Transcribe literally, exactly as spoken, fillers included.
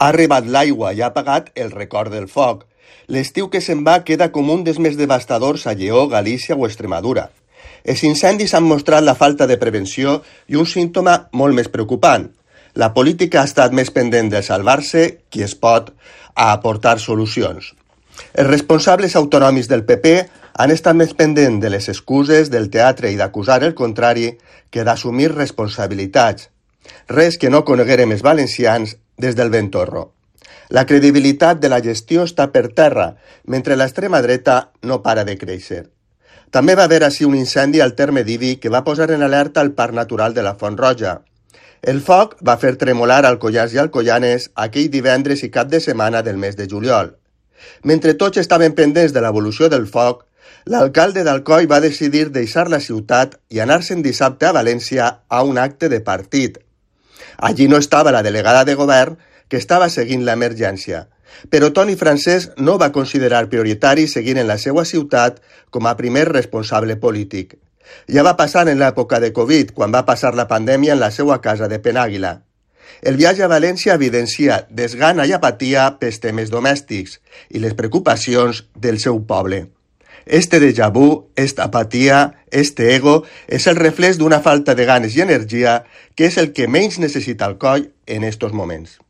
Ha arribat l'aigua i ha apagat el record del foc. L'estiu que se'n va queda com un dels més devastadors a Lleó, Galícia o Extremadura. Els incendis han mostrat la falta de prevenció i un símptoma molt més preocupant. La política ha estat més pendent de salvar-se qui es pot a aportar solucions. Els responsables autonòmics del P P han estat més pendents de les excuses, del teatre i d'acusar el contrari que d'assumir responsabilitats. Res que no coneguérem els valencians des del Ventorro. La credibilitat de la gestió està per terra, mentre l'extrema dreta no para de créixer. També va haver així un incendi al terme d'Ibi que va posar en alerta el Parc Natural de la Font Roja. El foc va fer tremolar Alcoians i Alcoianes aquell divendres i cap de setmana del mes de juliol. Mentre tots estaven pendents de l'evolució del foc, l'alcalde d'Alcoi va decidir deixar la ciutat i anar-se'n dissabte a València a un acte de partit. Allí no estava la delegada de govern, que estava seguint l'emergència, però Toni Francesc no va considerar prioritari seguir en la seva ciutat com a primer responsable polític. Ja va passar en l'època de Covid, quan va passar la pandèmia en la seva casa de Penàguila. El viatge a València evidencia desgana i apatia pels temes domèstics i les preocupacions del seu poble. Este déjà vu, esta apatia, este ego, és el reflex d'una falta de ganes i energia que és el que menys necessita Alcoi en estos moments.